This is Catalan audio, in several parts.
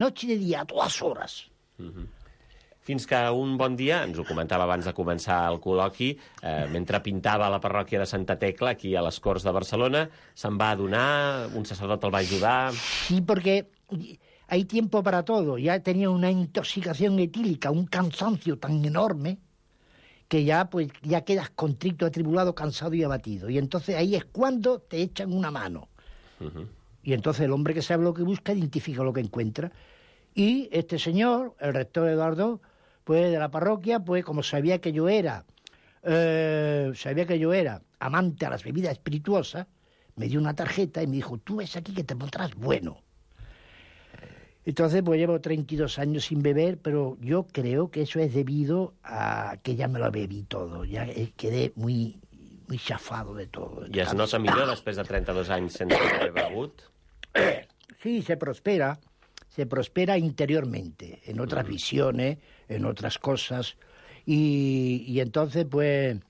noche y de día, a todas horas. Fins que un bon dia, ens ho comentava abans de començar el col·loqui, mentre pintava a la parròquia de Santa Tecla, aquí a les Corts de Barcelona, se'n va adonar, un sacerdot el va ajudar... Sí, porque hay tiempo para todo. Ya tenía una intoxicación etílica, un cansancio tan enorme que ya quedas contrito, atribulado, cansado y abatido. Y entonces ahí es cuando te echan una mano. Y entonces el hombre que sabe lo que busca identifica lo que encuentra. Y este señor, el rector Eduardo, pues de la parroquia, pues como sabía que yo era amante a las bebidas espirituosas, me dio una tarjeta y me dijo, tú ves aquí que te pondrás bueno. Entonces, pues llevo 32 años sin beber, pero yo creo que eso es debido a que ya me lo bebí todo. Ya quedé muy chafado de todo. I es nota millor després de 32 anys sense haver begut? Sí, se prospera interiormente, en otras visiones, en otras cosas. Y entonces, pues,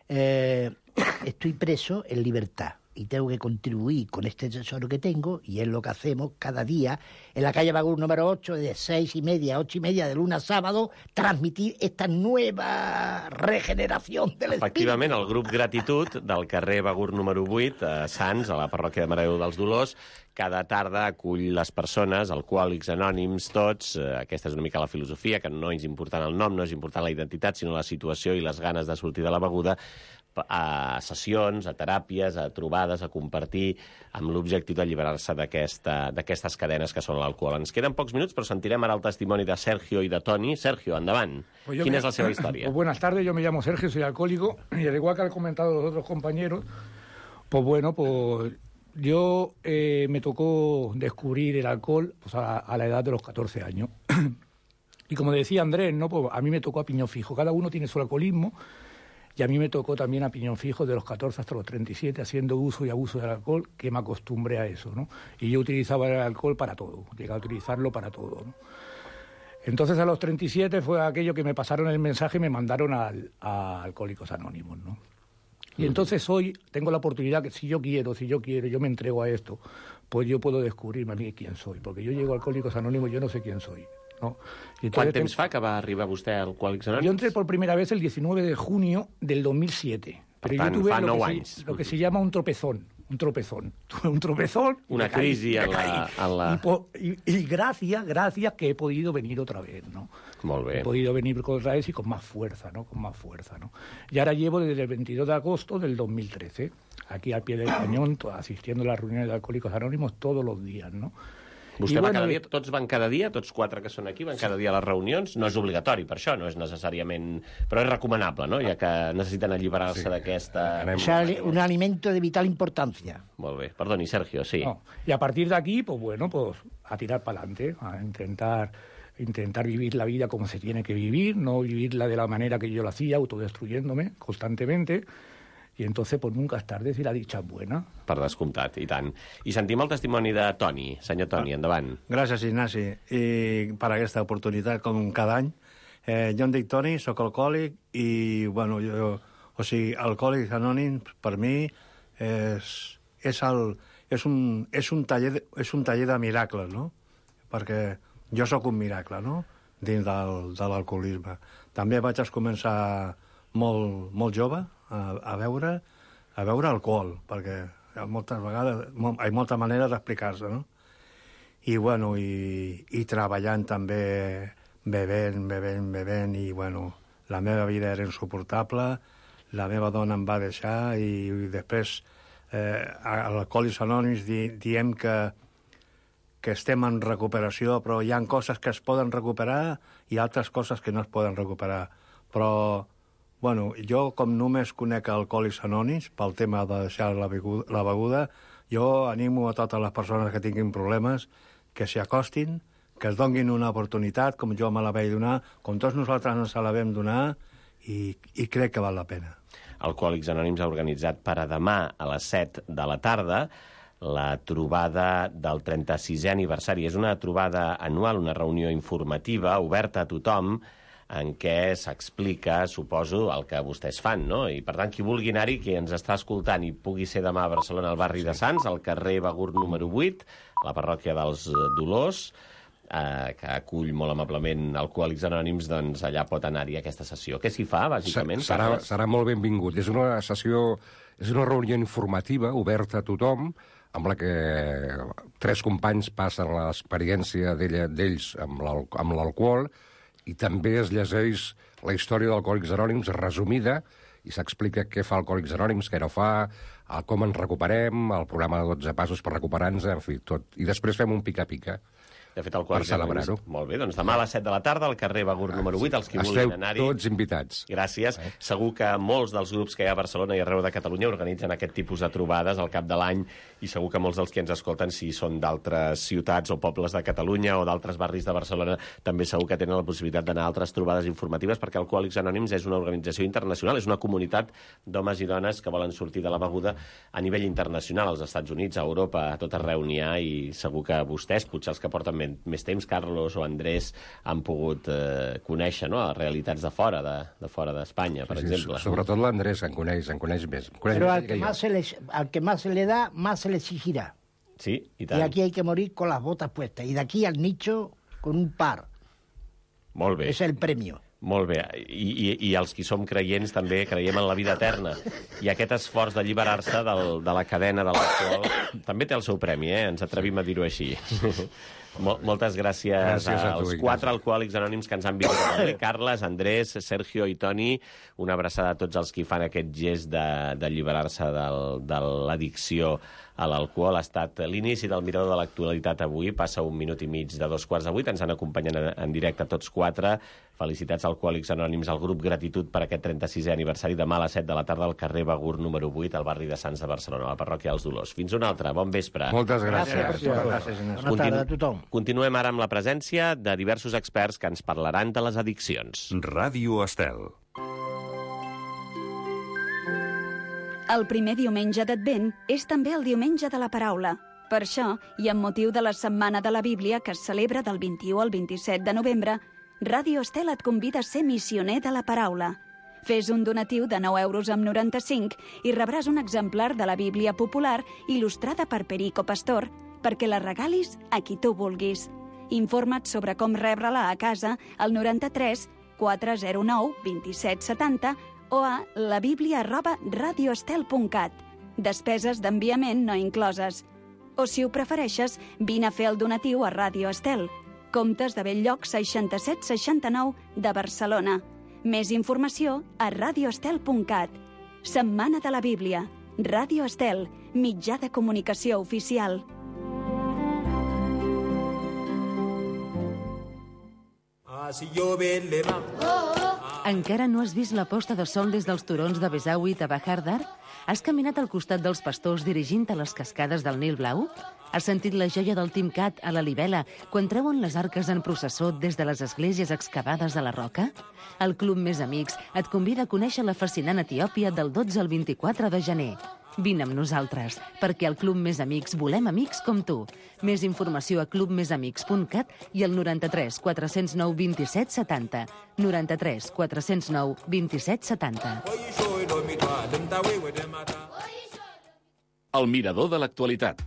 estoy preso en libertad. Y tengo que contribuir con este tesoro que tengo, y es lo que hacemos cada día en la calle Bagur número 8, de 6:30 a 8:30, de lunes a sábado, transmitir esta nueva regeneración del espíritu. Efectivament, el grup Gratitud del carrer Bagur número 8, a Sants, a la parròquia de Mare de Déu dels Dolors, cada tarda acull les persones, alcohòlics anònims, tots. Aquesta és una mica la filosofia, que no és important el nom, no és important la identitat, sinó la situació i les ganes de sortir de la beguda, a sessions, a teràpies, a trobades, a compartir, amb l'objectiu d'alliberar-se d'aquestes cadenes que són l'alcohol. Ens queden pocs minuts, però sentirem ara el testimoni de Sergio i de Toni. Sergio, endavant. Quina és la seva història? Pues buenas tardes, yo me llamo Sergio, soy alcohólico, y al igual que han comentado los otros compañeros, pues bueno, pues yo me tocó descubrir el alcohol pues a la edad de los 14 años. Y como decía Andrés, ¿no? Pues a mí me tocó a piñón fijo. Cada uno tiene su alcoholismo, y a mí me tocó también a piñón fijo de los 14 hasta los 37, haciendo uso y abuso del alcohol, que me acostumbré a eso, ¿no? Y yo utilizaba el alcohol para todo, llegué a utilizarlo para todo, ¿no? Entonces a los 37 fue aquello que me pasaron el mensaje y me mandaron a Alcohólicos Anónimos, ¿no? Y entonces hoy tengo la oportunidad que si yo quiero, yo me entrego a esto, pues yo puedo descubrirme a mí quién soy, porque yo llego a Alcohólicos Anónimos y yo no sé quién soy, ¿no? Quant temps fa que va arribar vostè a Alcohòlics Anònims? Yo entré por primera vez el 19 de junio del 2007. Per tant, yo tuve fa 9 anys. Lo que se llama un tropezón. Una crisi en la... Y gracias que he podido venir otra vez, ¿no? Molt bé. He podido venir otra vez y con más fuerza, ¿no? Y ahora llevo desde el 22 de agosto del 2013, aquí al pie del cañón, asistiendo a las reuniones de Alcohólicos Anónimos todos los días, ¿no? Vostè va cada dia, tots van cada dia, tots 4 que són aquí van cada dia a les reunions, no és obligatori per això, no és necessàriament... Però és recomanable, no?, ja que necessiten alliberar-se d'aquesta... O sea, un alimento de vital importancia. Molt bé, perdoni, Sergio, sí. No. Y a partir de aquí, pues bueno, pues a tirar para adelante, a intentar vivir la vida como se tiene que vivir, no vivirla de la manera que yo lo hacía, autodestruyéndome constantemente. I entonces pues nunca es tarde si la dicha es buena. Per descomptat, i tant. I sentim el testimoni de Toni. Senyor Toni, endavant. Gràcies, Ignasi, i per aquesta oportunitat, com cada any. Jo em dic Toni, sóc alcohòlic, i, bueno, Alcohòlics Anònims, per mi, és un taller de miracles, no? Perquè jo sóc un miracle, no?, dins de l'alcoholisme. També vaig començar molt jove a beure alcohol, perquè moltes vegades hi ha molta manera d'explicar-se, no? I, bueno, i treballant també, bevent, i, bueno, la meva vida era insuportable, la meva dona em va deixar, i després a l'Alcohòlics Anònims diem que estem en recuperació, però hi ha coses que es poden recuperar i altres coses que no es poden recuperar. Però bueno, jo, com només conec Alcohòlics Anònims pel tema de deixar la beguda, jo animo a totes les persones que tinguin problemes que s'hi acostin, que es donin una oportunitat, com jo me la vaig donar, com tots nosaltres ens la vam donar, i crec que val la pena. Alcohòlics Anònims ha organitzat per a demà a les 7 de la tarda la trobada del 36è aniversari. És una trobada anual, una reunió informativa, oberta a tothom, en què s'explica, suposo, el que vostès fan, no? I, per tant, qui vulgui anar-hi, qui ens està escoltant i pugui ser demà a Barcelona, al barri de Sants, al carrer Bagur número 8, a la parròquia dels Dolors, que acull molt amablement Alcohòlics Anònims, doncs allà pot anar-hi aquesta sessió. Què s'hi fa, bàsicament? Serà molt benvingut. És una sessió, és una reunió informativa oberta a tothom, amb la que 3 companys passen l'experiència d'ells amb l'alcohol, i també es llegeix la història d'Alcohòlics Anònims resumida, i s'explica què fa Alcohòlics Anònims, què no fa, com ens recuperem, el programa de 12 passos per recuperar-nos, en fi, tot. I després fem un pica-pica. De fet, Alcohòlics Anònims... Molt bé, doncs demà a les 7 de la tarda al carrer Begur número 8, els que vulguin anar-hi... Esteu tots invitats. Gràcies. Segur que molts dels grups que hi ha a Barcelona i arreu de Catalunya organitzen aquest tipus de trobades al cap de l'any, i segur que molts dels que ens escolten, si són d'altres ciutats o pobles de Catalunya o d'altres barris de Barcelona, també segur que tenen la possibilitat d'anar a altres trobades informatives, perquè Alcohòlics Anònims és una organització internacional, és una comunitat d'homes i dones que volen sortir de la beguda a nivell internacional, als Estats Units, a Europa, a tot arreu n'hi ha, i segur que vostès, potser els que porten més temps, Carlos o Andrés, han pogut conèixer, no?, les realitats de fora d'Espanya, per exemple. Sobretot l'Andrés en coneix més. Pero al que más se le da, más se le exigirá. Sí, i tant. Y aquí hay que morir con las botas puestas. Y de aquí al nicho, con un par. Molt bé. És el premio. Molt bé. I els que som creients també creiem en la vida eterna. I aquest esforç d'alliberar-se de la cadena de l'alcohol també té el seu premi, ens atrevim a dir-ho així. Moltes gràcies als 4 alcohòlics anònims que ens han visitat. Carles, Andrés, Sergio i Toni, una abraçada a tots els que fan aquest gest d'alliberar-se de l'addicció a l'alcohol. Ha estat l'inici del Mirador de l'Actualitat avui, passa 1 minut i mig de 7:15, ens han acompanyat en directe tots 4. Felicitats Alcohòlics Anònims al grup Gratitud per aquest 36è aniversari, demà a les 7 de la tarda al carrer Begur número 8, al barri de Sants de Barcelona, a la parròquia dels Dolors. Fins una altra, bon vespre. Moltes gràcies. Bona tarda a tothom. Continuem ara amb la presència de diversos experts que ens parlaran de les addiccions. Ràdio Estel. El primer diumenge d'Advent és també el diumenge de la paraula. Per això, i amb motiu de la Setmana de la Bíblia, que es celebra del 21 al 27 de novembre, Ràdio Estel et convida a ser missioner de la paraula. Fes un donatiu de 9,95 € i rebràs un exemplar de la Bíblia popular il·lustrada per Perico Pastor perquè la regalis a qui tu vulguis. Informa't sobre com rebre-la a casa al 93 409 2770 o a labiblia@radioestel.cat. Despeses d'enviament no incloses. O, si ho prefereixes, vine a fer el donatiu a Ràdio Estel, Comtes de Bell-lloc 6769 de Barcelona. Més informació a radioestel.cat. Setmana de la Bíblia. Ràdio Estel, mitjà de comunicació oficial. Encara no has vist la posta de sol des dels turons de Besawi a Bahar Dar? Has caminat al costat dels pastors dirigint a les cascades del Nil Blau? Has sentit la joia del Timcat a la Libela quan treuen les arques en processó des de les esglésies excavades a la roca? El Club Més Amics et convida a conèixer la fascinant Etiòpia del 12 al 24 de gener. Vine amb nosaltres, perquè al Club Més Amics volem amics com tu. Més informació a clubmesamics.cat i al 93 409 27 70. 93 409 27 70. El Mirador de l'Actualitat.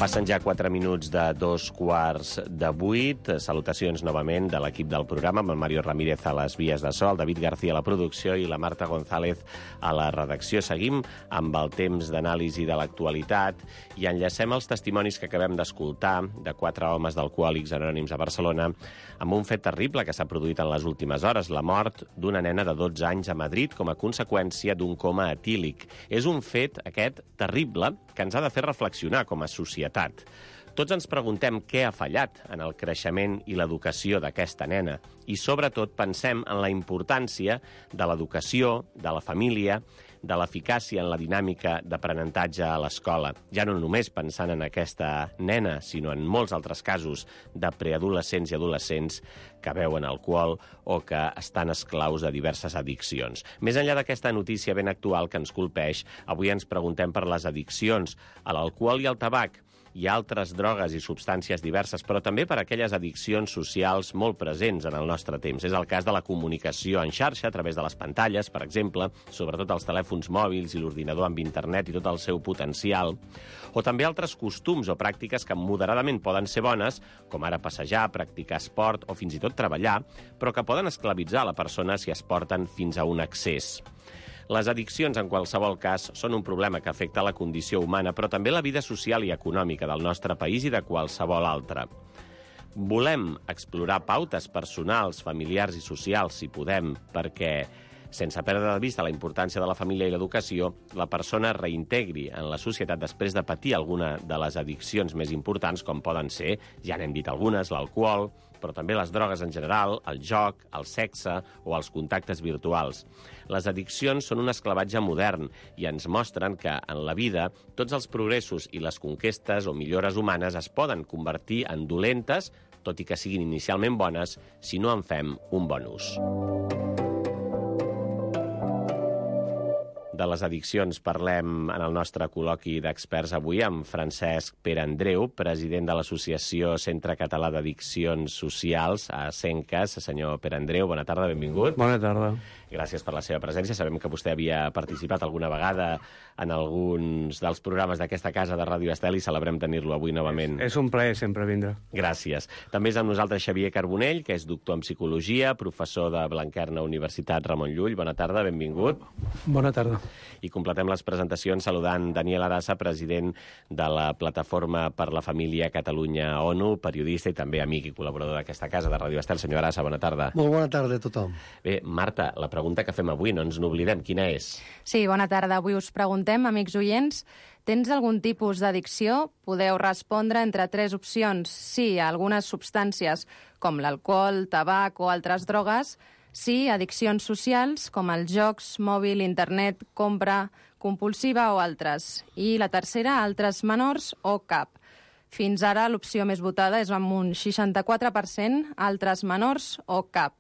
Passen ja 4 minuts de 7:15. Salutacions novament de l'equip del programa, amb el Mario Ramírez a les vies de so, el David García a la producció i la Marta González a la redacció. Seguim amb el temps d'anàlisi de l'actualitat i enllacem els testimonis que acabem d'escoltar de 4 homes d'Alcohòlics Anònims a Barcelona amb un fet terrible que s'ha produït en les últimes hores, la mort d'una nena de 12 anys a Madrid com a conseqüència d'un coma etílic. És un fet, aquest, terrible, que ens ha de fer reflexionar com a societat. Tots ens preguntem què ha fallat en el creixement i l'educació d'aquesta nena i, sobretot, pensem en la importància de l'educació, de la família, de l'eficàcia en la dinàmica d'aprenentatge a l'escola. Ja no només pensant en aquesta nena, sinó en molts altres casos de preadolescents i adolescents que beuen alcohol o que estan esclaus de diverses addiccions. Més enllà d'aquesta notícia ben actual que ens colpeix, avui ens preguntem per les addiccions a l'alcohol i al tabac, i altres drogues i substàncies diverses, però també per aquelles addiccions socials molt presents en el nostre temps. És el cas de la comunicació en xarxa a través de les pantalles, per exemple, sobretot els telèfons mòbils i l'ordinador amb internet i tot el seu potencial, o també altres costums o pràctiques que moderadament poden ser bones, com ara passejar, practicar esport o fins i tot treballar, però que poden esclavitzar la persona si es porten fins a un excés. Les addiccions, en qualsevol cas, són un problema que afecta la condició humana, però també la vida social i econòmica del nostre país i de qualsevol altra. Volem explorar pautes personals, familiars i socials, si podem, perquè, sense perdre de vista la importància de la família i l'educació, la persona es reintegri en la societat després de patir alguna de les addiccions més importants, com poden ser, ja n'hem dit algunes, l'alcohol, però també les drogues en general, el joc, el sexe o els contactes virtuals. Les addiccions són un esclavatge modern i ens mostren que, en la vida, tots els progressos i les conquestes o millores humanes es poden convertir en dolentes, tot i que siguin inicialment bones, si no en fem un bon ús. De les addiccions parlem en el nostre col·loqui d'experts avui amb Francesc Perandreu, president de l'Associació Centre Català d'Addiccions Socials a Cencas. Senyor Perandreu, bona tarda, benvingut. Bona tarda. Gràcies per la seva presència. Sabem que vostè havia participat alguna vegada en alguns dels programes d'aquesta casa de Ràdio Estel i celebrem tenir-lo avui novament. És un plaer sempre vindre. Gràcies. També és amb nosaltres Xavier Carbonell, que és doctor en Psicologia, professor de Blanquerna Universitat Ramon Llull. Bona tarda, benvingut. Bona tarda. I completem les presentacions saludant Daniel Arassa, president de la Plataforma per la Família Catalunya-ONU, periodista i també amic i col·laborador d'aquesta casa de Ràdio Estel. Senyor Arassa, bona tarda. Molt bona tarda a tothom. Bé, Marta, la pregunta que fem avui, no ens n'oblidem, quina és? Sí, bona tarda. Avui us preguntem, amics oients, tens algun tipus d'addicció? Podeu respondre entre 3 opcions. Sí a algunes substàncies com l'alcohol, tabac o altres drogues. Sí, addiccions socials, com els jocs, mòbil, internet, compra compulsiva o altres. I la tercera, altres menors o cap. Fins ara l'opció més votada és amb un 64%, altres menors o cap.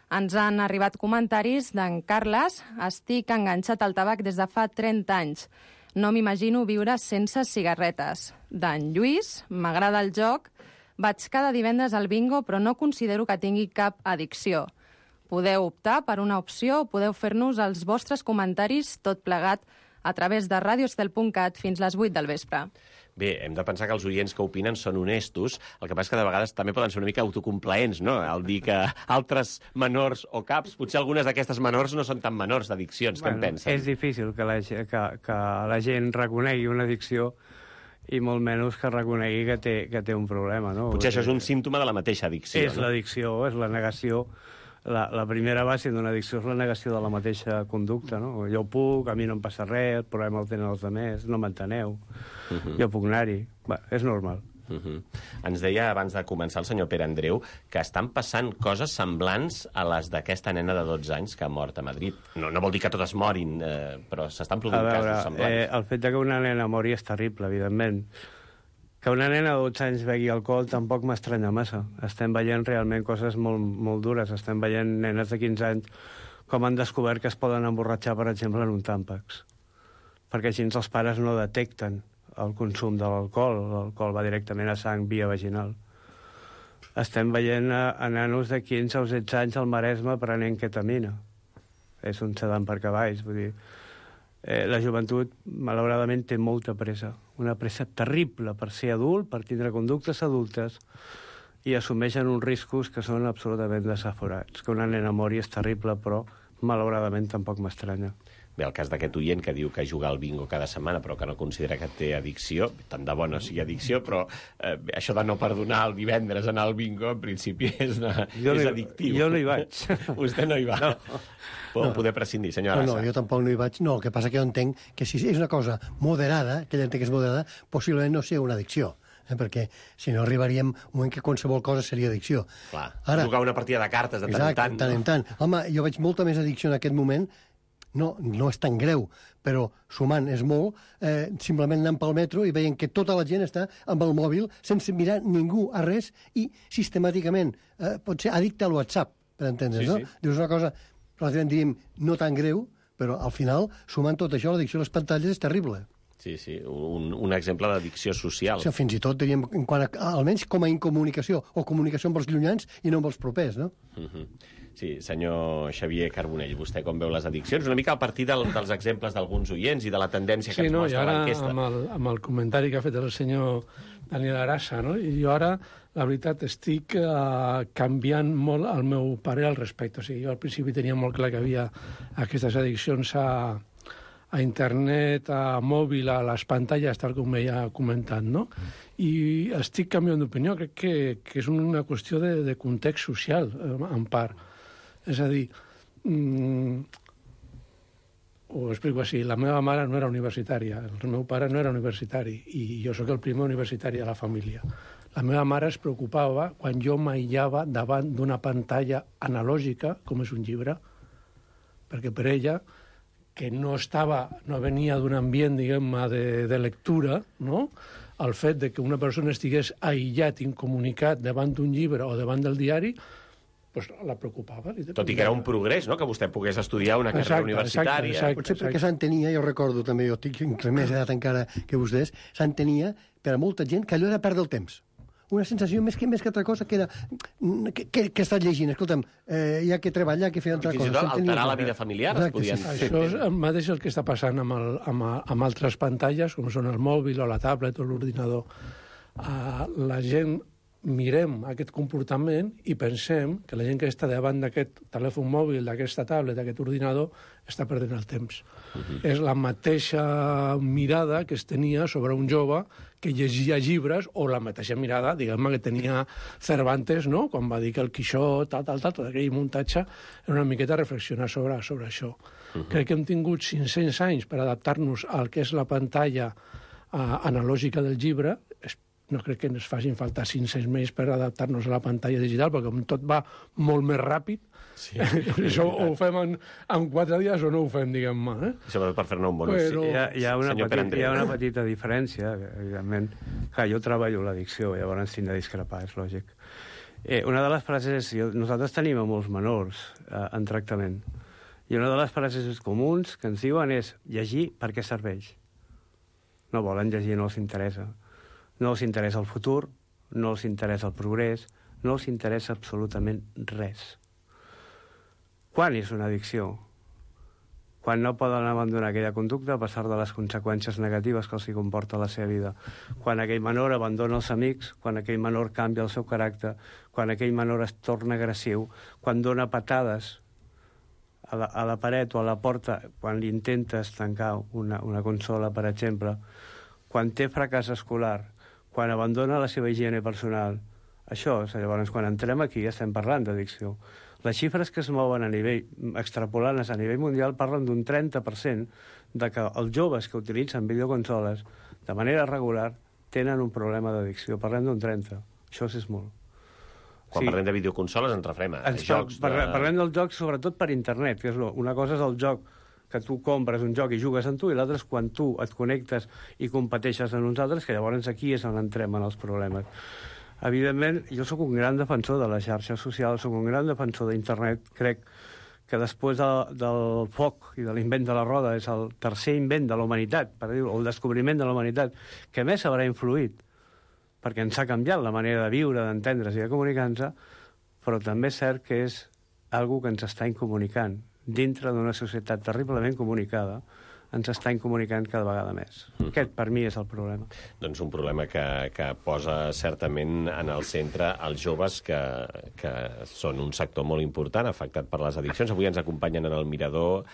Ens han arribat comentaris d'en Carles. Estic enganxat al tabac des de fa 30 anys. No m'imagino viure sense cigarretes. D'en Lluís, m'agrada el joc. Vaig cada divendres al bingo, però no considero que tingui cap addicció. Podeu optar per una opció o podeu fer-nos els vostres comentaris tot plegat a través de radioestel.cat fins les 8 del vespre. Bé, hem de pensar que els oients que opinen són honestos, el que passa és que de vegades també poden ser una mica autocomplaents, no?, al dir que altres menors o caps, potser algunes d'aquestes menors no són tan menors d'addiccions, què en pensen? És difícil que la gent reconegui una addicció i molt menys que reconegui que té un problema, no? Potser això és un símptoma de la mateixa addicció, no? És l'addicció, és la negació. La primera base d'una addicció és la negació de la mateixa conducta, no? Jo puc, a mi no em passa res, el problema el tenen els altres, no m'enteneu, jo puc anar-hi. És normal. Ens deia abans de començar el senyor Perandreu que estan passant coses semblants a les d'aquesta nena de 12 anys que ha mort a Madrid. No vol dir que totes morin, però s'estan produint casos semblants. El fet que una nena mori és terrible, evidentment. Que una nena de 12 anys begui alcohol tampoc m'estranya massa. Estem veient realment coses molt, molt dures. Estem veient nenes de 15 anys com han descobert que es poden emborratxar, per exemple, en un tàmpax. Perquè així els pares no detecten el consum de l'alcohol. L'alcohol va directament a sang via vaginal. Estem veient a nanos de 15 o 16 anys al Maresme prenent ketamina. És un sedant per cavalls, vull dir... La joventut, malauradament, té molta pressa. Una pressa terrible per ser adult, per tindre conductes adultes, i assumeixen uns riscos que són absolutament desaforats. Que una nena mori és terrible, però malauradament tampoc m'estranya. Bé, el cas d'aquest oient que diu que juga al bingo cada setmana però que no considera que té addicció, tant de bo no sigui addicció, però això de no perdonar el divendres anar al bingo, en principi és addictiu. Jo no hi vaig. Vostè no hi va. No. Pot poder prescindir, senyor Arassa. No, jo tampoc no hi vaig. No, el que passa que jo entenc que si és una cosa moderada, que ella entenc que és moderada, possiblement no sigui una addicció. perquè si no arribaríem a un moment que qualsevol cosa seria addicció. Clar, jugar una partida de cartes de tant en tant. Exacte, de tant en tant. Home, jo veig molta més addicció en aquest moment. No és tan greu, però sumant és molt, simplement anant pel metro i veient que tota la gent està amb el mòbil sense mirar ningú a res i sistemàticament pot ser addicte al WhatsApp, per entendre's, no? Dius una cosa, relativament diríem, no tan greu, però al final, sumant tot això, l'addicció a les pantalles és terrible. Sí, un exemple d'addicció social. O sigui, fins i tot, diríem, en quant a, almenys com a incomunicació, o comunicació amb els llunyans i no amb els propers, no? Sí, senyor Xavier Carbonell, vostè com veu les addiccions? Una mica a partir dels exemples d'alguns oients i de la tendència que ens mostra l'enquesta. Sí, no, i ara amb el comentari que ha fet el senyor Daniel Arasa, no? I jo ara, la veritat, estic canviant molt el meu parer al respecte. O sigui, jo al principi tenia molt clar que havia aquestes addiccions a internet, a mòbil, a les pantalles, tal com m'he comentat, no? I estic canviant d'opinió. Crec que és una qüestió de context social, en part. És a dir, ho explico així, la meva mare no era universitària, el meu pare no era universitari, i jo sóc el primer universitari de la família. La meva mare es preocupava quan jo m'aïllava davant d'una pantalla analògica, com és un llibre, perquè per ella, que no venia d'un ambient, diguem-ne, de lectura, no?, el fet de que una persona estigués aïllat, incomunicat, davant d'un llibre o davant del diari, pues la preocupava. Tot i que era un progrés, no?, que vostè pogués estudiar una carrera universitària. Exacte. Potser perquè s'entenia, jo recordo també, jo tinc més edat encara que vostès, s'entenia per a molta gent que allò era perdre el temps. Una sensació més que altra cosa que era que estàs llegint, escolta'm, hi ha que treballar, que fer altra cosa. Fins i tot alterar la vida familiar. Això és el mateix el que està passant amb altres pantalles, com són el mòbil o la tablet o l'ordinador. La gent mirem aquest comportament i pensem que la gent que està davant d'aquest telèfon mòbil, d'aquesta tablet, d'aquest ordinador, està perdent el temps. És la mateixa mirada que es tenia sobre un jove que llegia llibres, o la mateixa mirada, diguem-ne, que tenia Cervantes, no?, quan va dir que el Quixot, tot aquell muntatge, era una miqueta reflexionar sobre això. Crec que hem tingut 500 anys per adaptar-nos al que és la pantalla analògica del llibre. No crec que ens facin falta 500 més per adaptar-nos a la pantalla digital, perquè com tot va molt més ràpid, això ho fem en 4 dies o no ho fem, diguem-ne. Sobretot per fer-ne un bon ús. Hi ha una petita diferència, evidentment. Clar, jo treballo l'addicció, llavors tinc de discrepar, és lògic. Una de les frases és... Nosaltres tenim a molts menors en tractament, i una de les frases comuns que ens diuen és llegir per què serveix. No volen llegir, no els interessa. No els interessa el futur, no els interessa el progrés, no els interessa absolutament res. Quan és una addicció? Quan no poden abandonar aquella conducta a pesar de les conseqüències negatives que els comporta la seva vida. Quan aquell menor abandona els amics, quan aquell menor canvia el seu caràcter, quan aquell menor es torna agressiu, quan dona patades a la paret o a la porta, quan li intentes tancar una consola, per exemple, quan té fracàs escolar, quan abandona la seva higiene personal. Això, llavors, quan entrem aquí, estem parlant d'addicció. Les xifres que es mouen a nivell, extrapolant-les a nivell mundial, parlen d'un 30% de que els joves que utilitzen videoconsoles de manera regular tenen un problema d'addicció. Parlem d'un 30%. Això és molt. Quan parlem de videoconsoles ens referem a jocs. Parlem dels jocs sobretot per internet, que és una cosa és el joc que tu compres un joc i jugues amb tu, i l'altre és quan tu et connectes i competeixes amb uns altres, que llavors aquí és on entrem en els problemes. Evidentment, jo sóc un gran defensor de les xarxes socials, sóc un gran defensor d'internet. Crec que després del foc i de l'invent de la roda és el tercer invent de la humanitat, per dir-ho, o el descobriment de la humanitat, que més haurà influït, perquè ens ha canviat la manera de viure, d'entendre's i de comunicar-nos, però també és cert que és algo que ens està incomunicant. Dintre d'una societat terriblement comunicada, ens està incomunicant cada vegada més. Aquest, per mi, és el problema. Doncs un problema que posa certament en el centre els joves, que són un sector molt important afectat per les addiccions. Avui ens acompanyen en el Mirador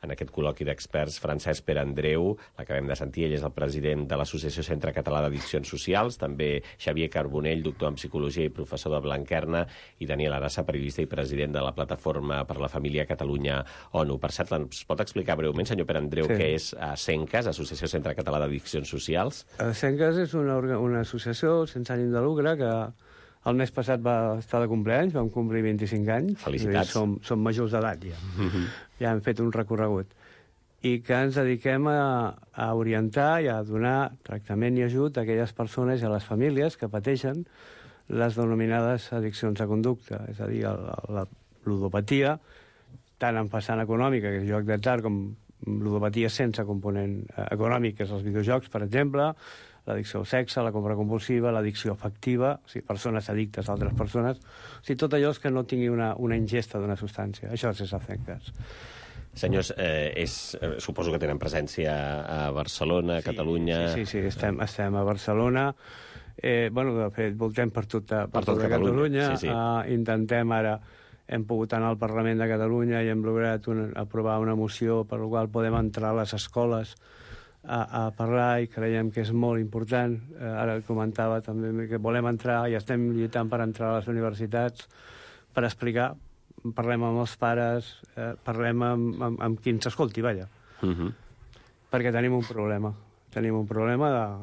en aquest col·loqui d'experts Francesc Pere Andreu, l'acabem de sentir, ell és el president de l'Associació Centre Català d'Addiccions Socials, també Xavier Carbonell, doctor en Psicologia i professor de Blanquerna, i Daniel Arassa, periodista i president de la Plataforma per la Família Catalunya ONU. Per cert, ens pot explicar breument, senyor Pere Andreu, què és CENCAS, Associació Centre Català d'Addiccions Socials? CENCAS és una associació sense ànim de lucre que el mes passat va estar de compleanys, vam complir 25 anys. Felicitats. Som majors d'edat ja. Ja hem fet un recorregut. I que ens dediquem a orientar i a donar tractament i ajut a aquelles persones i a les famílies que pateixen les denominades addiccions a conducta, és a dir, la ludopatia, tant en vessant econòmica, que és joc d'atzar, com ludopatia sense component econòmic, que és els videojocs, per exemple, l'addicció al sexe, la compra compulsiva, l'addicció afectiva, o sigui, persones addictes a altres persones, o sigui, tot allò que no tingui una ingesta d'una substància. Això és CENCAS. Senyors, suposo que tenen presència a Barcelona, a Catalunya... Sí, estem a Barcelona. De fet, voltem per tota Catalunya. Intentem ara... Hem pogut anar al Parlament de Catalunya i hem lograt aprovar una moció per la qual podem entrar a les escoles a parlar, i creiem que és molt important. Ara comentava també que volem entrar i estem lluitant per entrar a les universitats per explicar. Parlem amb els pares, parlem amb qui ens escolti, vaja. Perquè tenim un problema.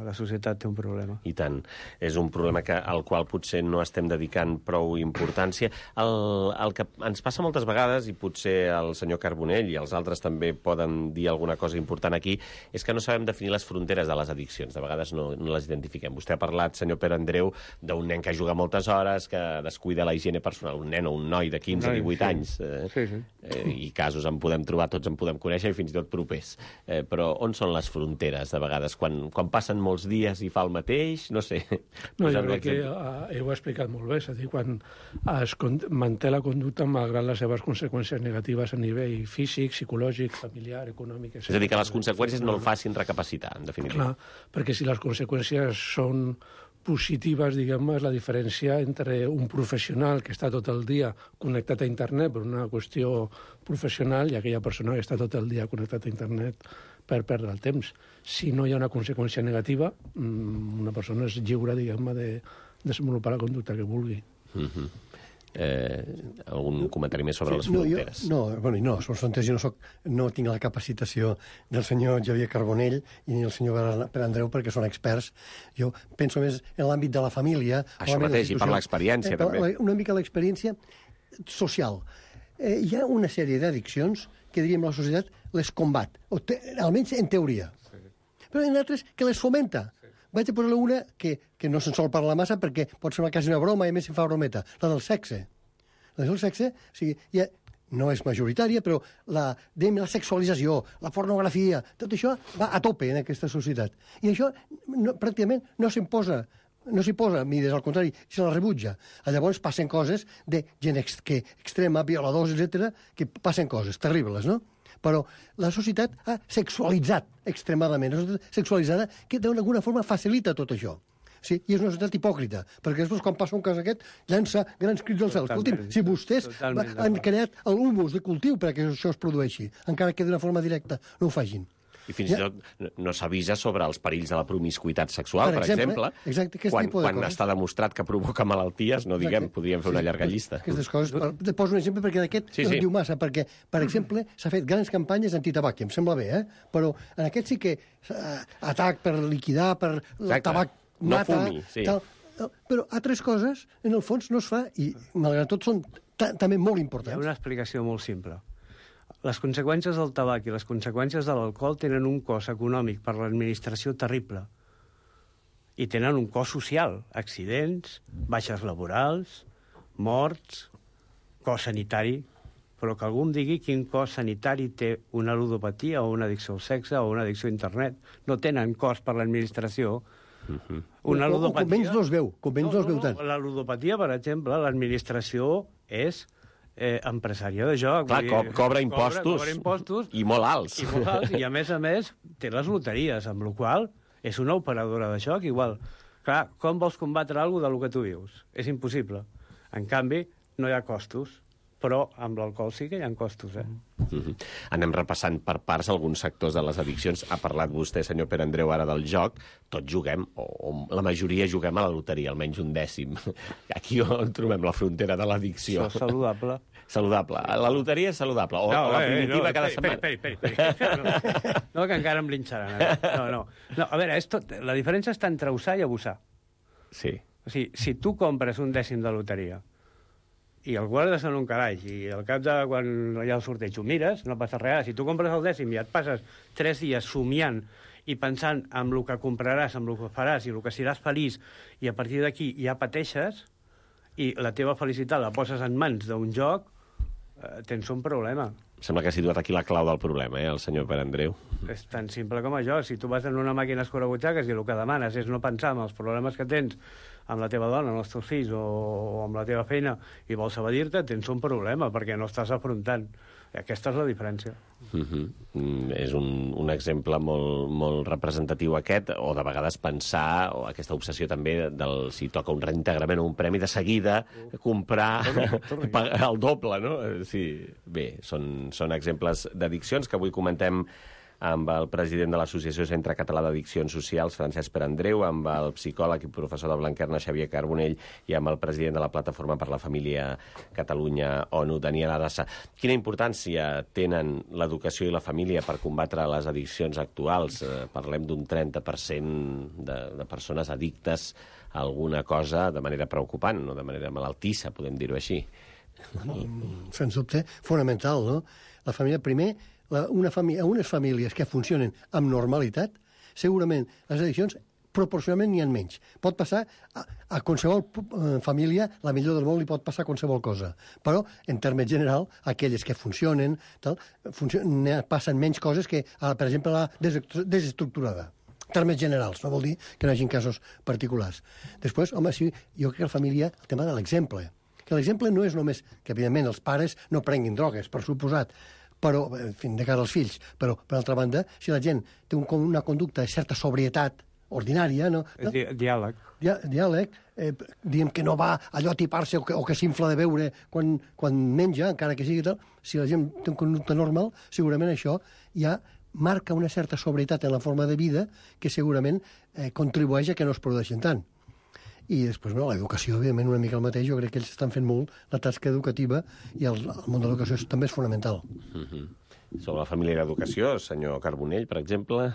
La societat té un problema. I tant. És un problema al qual potser no estem dedicant prou importància. El que ens passa moltes vegades, i potser el senyor Carbonell i els altres també poden dir alguna cosa important aquí, és que no sabem definir les fronteres de les addiccions. De vegades no les identifiquem. Vostè ha parlat, senyor Pere Andreu, d'un nen que juga moltes hores, que descuida la higiene personal. Un nen o un noi de 15 o 18 anys. I casos en podem trobar, tots en podem conèixer, i fins i tot propers. Però on són les fronteres, de vegades? Quan passen molts dies i fa el mateix, no sé. No, jo crec que ho ha explicat molt bé, és a dir, quan es manté la conducta malgrat les seves conseqüències negatives a nivell físic, psicològic, familiar, econòmic, etc. És a dir, que les conseqüències no el facin recapacitar, en definitiva. Clar, perquè si les conseqüències són positives, diguem-ne, és la diferència entre un professional que està tot el dia connectat a internet per una qüestió professional i aquella persona que està tot el dia connectat a internet per perdre el temps. Si no hi ha una conseqüència negativa, una persona és lliure, diguem-ne, de desenvolupar la conducta que vulgui. Algun comentari més sobre les fronteres? Sobre les fronteres jo no tinc la capacitació del senyor Xavier Carbonell i ni el senyor Pere Andreu, perquè són experts. Jo penso més en l'àmbit de la família. Això mateix, i per l'experiència, també. Una mica l'experiència social. Hi ha una sèrie d'addiccions que, diríem, la societat les combat, almenys en teoria. Però hi ha altres que les fomenta. Vaig a posar una que no se'n sol parlar massa perquè pot ser quasi una broma i a més se'n fa brometa, la del sexe. La del sexe, o sigui, no és majoritària, però la sexualització, la pornografia, tot això va a tope en aquesta societat. I això pràcticament no s'hi posa mides, al contrari, se la rebutja. Llavors passen coses de gent extrema, violadors, etc., que passen coses terribles, no? Però la societat ha sexualitzat extremadament, una societat sexualitzada que d'alguna forma facilita tot això. Sí, i és una societat hipòcrita, perquè després quan passa un cas aquest llança grans crits al cel. Escolti'm, si vostès han creat l'humus de cultiu perquè això es produeixi, encara que d'una forma directa no ho facin. I fins i tot no s'avisa sobre els perills de la promiscuïtat sexual, per exemple. Exacte, quan està demostrat que provoca malalties, no diguem, podríem fer una llarga llista. Aquestes coses, te poso un exemple perquè d'aquest no diu massa, perquè, per exemple, s'ha fet grans campanyes antitabac, em sembla bé, però en aquest sí que atac per liquidar, per el tabac mata... No fumi, sí. Però altres coses, en el fons, no es fa, i malgrat tot són també molt importants. Hi ha una explicació molt simple. Les conseqüències del tabac i les conseqüències de l'alcohol tenen un cost econòmic per l'administració terrible. I tenen un cost social. Accidents, baixes laborals, morts, cost sanitari. Però que algú em digui quin cost sanitari té una ludopatia o una addicció al sexe o una addicció a internet. No tenen cost per l'administració. Una ludopatia... Com menys no es veu tant. La ludopatia, per exemple, l'administració és... empresària de joc. Clar, cobra impostos i molt alts. I a més, té les loteries, amb la qual és una operadora de joc igual. Clar, com vols combatre alguna cosa del que tu vius? És impossible. En canvi, no hi ha costos. però amb l'alcohol sí que hi ha costos, Anem repassant per parts alguns sectors de les addiccions. Ha parlat vostè, senyor Pere Andreu, ara del joc. Tots juguem, o la majoria juguem a la loteria, almenys un dècim. Aquí on trobem la frontera de l'addicció. Això és saludable. Saludable. La loteria és saludable. O la primitiva cada setmana. Espera. No, que encara em linxaran. No, a veure, la diferència està entre usar i abusar. Sí. O sigui, si tu compres un dècim de loteria i el guardes en un calaix i al cap de quan hi ha el sorteig ho mires, no passa res. Si tu compres el dècim i et passes 3 dies somiant i pensant en el que compraràs, en el que faràs i el que seràs feliç, i a partir d'aquí ja pateixes i la teva felicitat la poses en mans d'un joc, tens un problema. Sembla que ha situat aquí la clau del problema, el senyor Pere Andreu. És tan simple com això. Si tu vas en una màquina escurabutxaques i el que demanes és no pensar en els problemes que tens amb la teva dona, amb els teus fills o amb la teva feina i vols evadir-te, tens un problema perquè no estàs afrontant. Aquesta és la diferència. És un exemple molt representatiu aquest, o de vegades pensar, o aquesta obsessió també del si toca un reintegrament o un premi de seguida, comprar el doble, no? Sí, bé, són exemples d'addiccions que avui comentem amb el president de l'Associació Centre Català d'Addiccions Socials, Francesc Pere Andreu, amb el psicòleg i professor de Blanquerna, Xavier Carbonell, i amb el president de la Plataforma per la Família Catalunya, ONU, Daniel Adassa. Quina importància tenen l'educació i la família per combatre les addiccions actuals? Parlem d'un 30% de persones addictes a alguna cosa de manera preocupant, no de manera malaltissa, podem dir-ho així. Sens dubte, fonamental, no? La família, primer, unes famílies que funcionen amb normalitat, segurament les addiccions proporcionalment n'hi ha menys. Pot passar a qualsevol família, la millor del món li pot passar qualsevol cosa. Però, en termes general, aquelles que funcionen, passen menys coses que, per exemple, la desestructurada. En termes generals, no vol dir que no hi hagi casos particulars. Després, home, sí, jo crec que la família, el tema de l'exemple, que l'exemple no és només que, evidentment, els pares no prenguin drogues, per suposat, però, en fi, de cara als fills. Però, per altra banda, si la gent té una conducta de certa sobrietat ordinària... No? Diàleg. Diàleg. Diem que no va allò a tipar-se o que s'infla de beure quan menja, encara que sigui tal. Si la gent té una conducta normal, segurament això ja marca una certa sobrietat en la forma de vida que segurament contribueix a que no es produeixin tant. I després, l'educació, evidentment, una mica el mateix. Jo crec que ells estan fent molt la tasca educativa i el món de l'educació també és fonamental. Sobre la família i l'educació, senyor Carbonell, per exemple...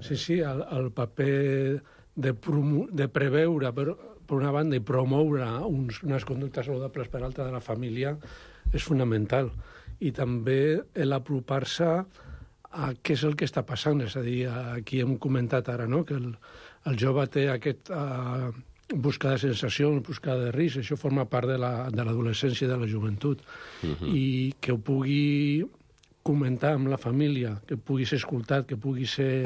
Sí, el paper de preveure, per una banda, i promoure unes conductes saludables per altra de la família és fonamental. I també l'apropar-se a què és el que està passant. És a dir, aquí hem comentat ara, no?, que el jove té aquest... buscar de sensacions, buscar de risc, això forma part de l'adolescència i de la joventut. I que ho pugui comentar amb la família, que pugui ser escoltat, que pugui ser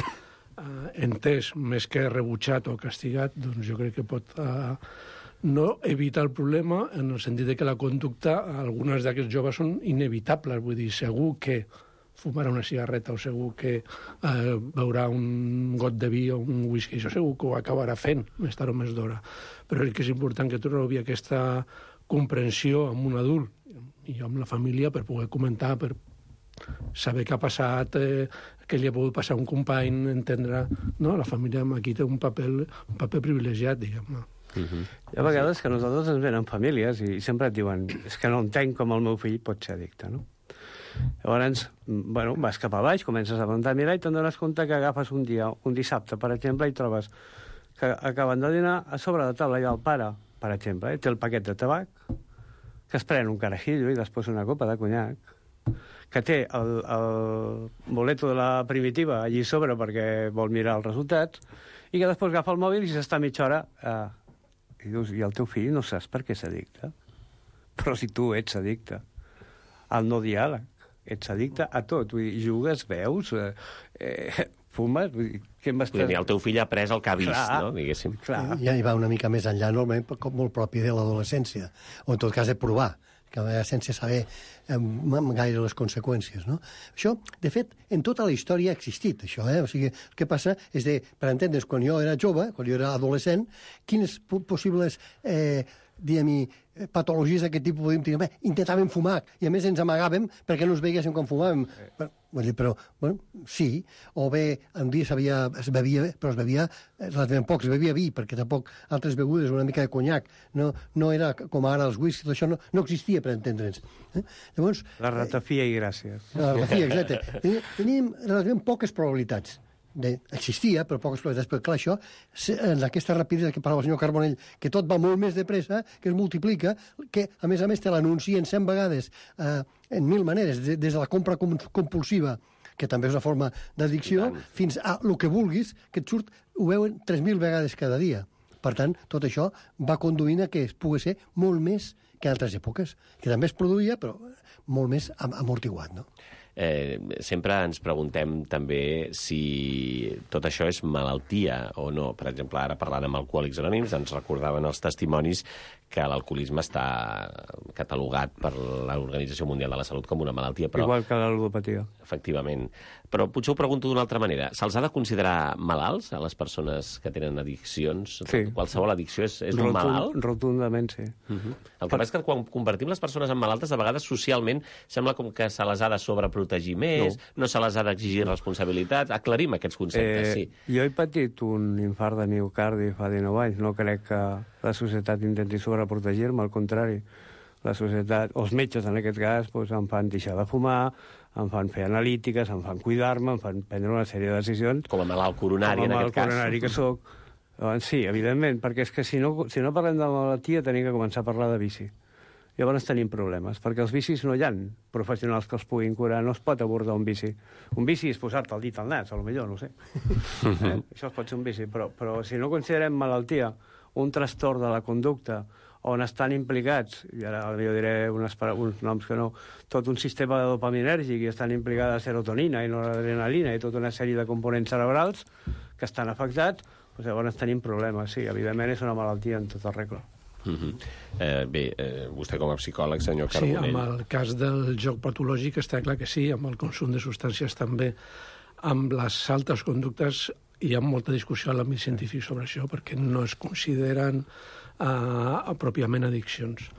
entès, més que rebutjat o castigat, doncs jo crec que pot no evitar el problema en el sentit de que la conducta, algunes d'aquests joves són inevitables, vull dir, segur que fumarà una cigarreta o segur que beurà un got de vi o un whisky, això segur que ho acabarà fent més tard o més d'hora. Però és que és important que trobi aquesta comprensió amb un adult i amb la família per poder comentar, per saber què ha passat, què li ha pogut passar a un company, entendre... No? La família aquí té un paper privilegiat, diguem-ne. Hi ha vegades que nosaltres ens venen famílies i sempre et diuen és que no entenc com el meu fill pot ser addicte, no? Llavors, vas cap a baix, comences a preguntar, mira, i te'n dones compte que agafes un dissabte, per exemple, i trobes que acaben de dinar a sobre de taula i el pare, per exemple, té el paquet de tabac, que es pren un carajillo i després una copa de conyac, que té el boleto de la primitiva allí sobre perquè vol mirar els resultats, i que després agafa el mòbil i s'està mitja hora... I dius, i el teu fill no saps per què és addicte? Però si tu ets addicte al no diàleg, ets addicte a tot, vull dir, jugues, veus, fumes, vull dir, què m'estàs... El teu fill ha après el que ha vist, clar, no?, diguéssim. Clar. Ja hi va una mica més enllà, normalment, com molt propi de l'adolescència, o en tot cas de provar, que sense saber gaire les conseqüències, no? Això, de fet, en tota la història ha existit, això, O sigui, el que passa és per entendre's, quan jo era jove, quan jo era adolescent, quines possibles diguem-hi, patologies d'aquest tipus, podríem dir, intentàvem fumar, i a més ens amagàvem perquè no ens veiguéssim quan fumàvem. Però, bueno, sí, o bé, un dia es bevia, però es bevia relativament poc, es bevia vi, perquè tampoc altres begudes, una mica de conyac, no era com ara els whisky, tot això no existia, per entendre'ns. Llavors... La ratafia i gràcies. La ratafia, exacte. Teníem relativament poques probabilitats. Existia, però poques probabilitats, perquè clar, això, en aquesta rapidesa que parlava el senyor Carbonell, que tot va molt més de pressa, que es multiplica, que a més te l'anuncien 100 vegades, en 1000 maneres, des de la compra compulsiva, que també és una forma d'addicció, fins a el que vulguis, que et surt, ho veuen 3.000 vegades cada dia. Per tant, tot això va conduint a que es pugui ser molt més que en altres èpoques, que també es produïa, però molt més amortiguat, no? Sempre ens preguntem també si tot això és malaltia o no. Per exemple, ara parlant amb Alcohòlics Anònims ens recordaven els testimonis que l'alcoholisme està catalogat per l'Organització Mundial de la Salut com una malaltia. Però, igual que la ludopatia. Efectivament. Però potser ho pregunto d'una altra manera. Se'ls ha de considerar malalts a les persones que tenen addiccions? Sí. Qualsevol addicció és un malalt? Rotundament, sí. El que passa és que quan convertim les persones en malaltes, de vegades socialment sembla com que se les ha de sobreprotegir més, no se les ha d'exigir responsabilitats. Aclarim aquests conceptes, sí. Jo he patit un infart de miocardi fa 19 anys. No crec que la societat intenti sobreprotegir-me, al contrari. La societat, els metges en aquest cas, doncs, em fan deixar de fumar, em fan fer analítiques, em fan cuidar-me, em fan prendre una sèrie de decisions. Com a malalt coronari, en aquest cas. Com a malalt coronari que soc. Sí, evidentment, perquè és que si no parlem de malaltia tenim que començar a parlar de vici. Llavors tenim problemes, perquè els vicis no hi ha professionals que els puguin curar, no es pot abordar un vici. Un vici és posar-te el dit al nas, potser, no ho sé. Això es pot ser un vici, però si no considerem malaltia un trastorn de la conducta on estan implicats, i ara jo diré uns noms que no, tot un sistema de dopaminèrgic i estan implicada serotonina i noradrenalina i tota una sèrie de components cerebrals que estan afectats, doncs llavors tenim problemes. Sí, evidentment és una malaltia en tota regla. Bé, vostè com a psicòleg, senyor Carbonell... Sí, amb el cas del joc patològic està clar que sí, amb el consum de substàncies també. Amb les altres conductes hi ha molta discussió a l'àmbit científic sobre això, perquè no es consideren pròpiament addiccions.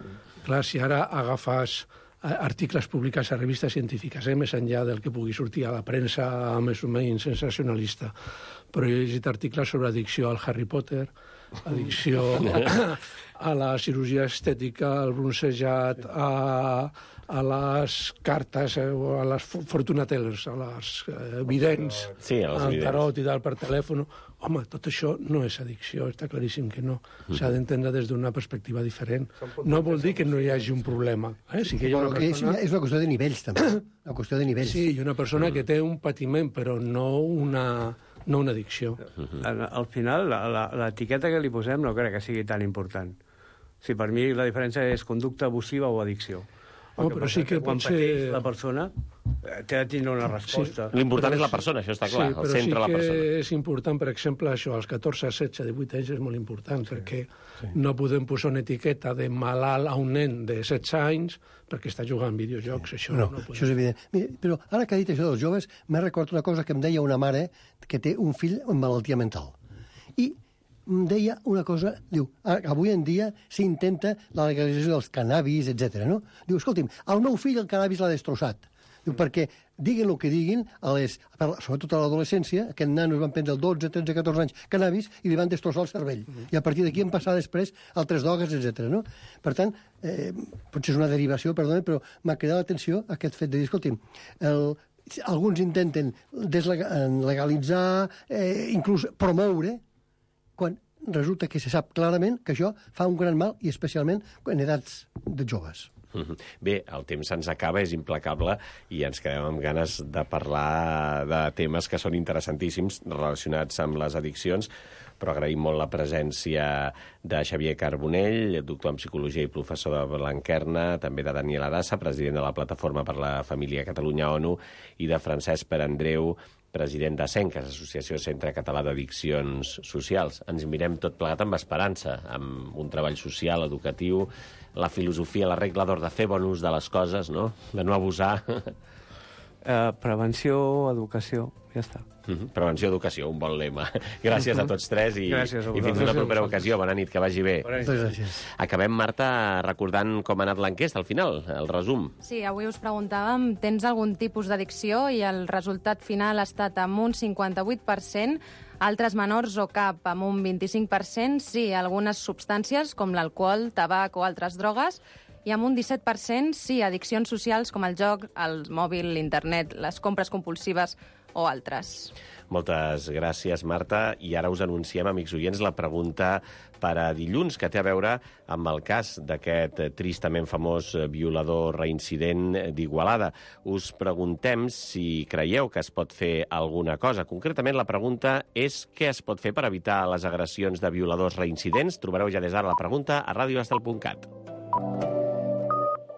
Clar, si ara agafes articles publicats a revistes científiques, més enllà del que pugui sortir a la premsa més o menys sensacionalista, però he llegit articles sobre addicció al Harry Potter, addicció a la cirurgia estètica, al bronzejat, a les cartes, a les fortuna tellers, a les vidents, al tarot i tal per telèfon. Home, tot això no és addicció, està claríssim que no. S'ha d'entendre des d'una perspectiva diferent. No vol dir que no hi hagi un problema. Sí que hi ha una persona... És una qüestió de nivells, també. Una qüestió de nivells. Sí, i una persona que té un patiment, però no una addicció. Al final, l'etiqueta que li posem no crec que sigui tan important. Si per mi la diferència és conducta abusiva o addicció. Però sí que quan pateix la persona té de tindre una resposta. Sí. L'important és la persona, això està clar, al centre de la persona. Sí, però sí que és important, per exemple, això, als 14, 16, 18 anys és molt important, perquè no podem posar una etiqueta de malalt a un nen de 16 anys perquè està jugant videojocs, això no podem. Això és evident. Mira, però ara que ha dit això dels joves, m'he recordat una cosa que em deia una mare que té un fill amb malaltia mental. I em deia una cosa, diu, avui en dia s'intenta la legalització dels cannabis, etc. No? Diu, escolti'm, el meu fill el cannabis l'ha destrossat. Diu, perquè diguin el que diguin, sobretot a l'adolescència, aquests nanos van prendre el 12, 13, 14 anys cannabis i li van destrossar el cervell. I a partir d'aquí en passar després altres drogues, etc. No? Per tant, potser és una derivació, perdona, però m'ha cridat l'atenció aquest fet de dir, escolti'm, alguns intenten legalitzar, inclús promoure, quan resulta que se sap clarament que això fa un gran mal, i especialment en edats de joves. Bé, el temps se'ns acaba, és implacable, i ens quedem amb ganes de parlar de temes que són interessantíssims relacionats amb les addiccions, però agraïm molt la presència de Xavier Carbonell, doctor en Psicologia i professor de Blanquerna, també de Daniel Adassa, president de la Plataforma per la Família Catalunya-ONU, i de Francesc Perandreu, president de CENCAS, Associació Centre Català d'Addiccions Socials. Ens mirem tot plegat amb esperança, amb un treball social, educatiu, la filosofia, la regla d'or de fer bon ús de les coses, no? De no abusar. Prevenció, educació Ja està. Prevenció, educació, un bon lema. Gràcies a tots tres i Gràcies a fins vosaltres. una propera ocasió. Bona nit, que vagi bé. Moltes gràcies. Acabem, Marta, recordant com ha anat l'enquesta al final, el resum. Sí, avui us preguntàvem, tens algun tipus d'addicció? I el resultat final ha estat amb un 58%, altres menors o cap amb un 25%, sí, algunes substàncies com l'alcohol, tabac o altres drogues, i amb un 17% sí, addiccions socials com el joc, el mòbil, l'internet, les compres compulsives o altres. Moltes gràcies, Marta. I ara us anunciem, amics oients, la pregunta per a dilluns, que té a veure amb el cas d'aquest tristament famós violador reincident d'Igualada. Us preguntem si creieu que es pot fer alguna cosa. Concretament, la pregunta és què es pot fer per evitar les agressions de violadors reincidents. Trobareu ja des d'ara la pregunta a radioestel.cat.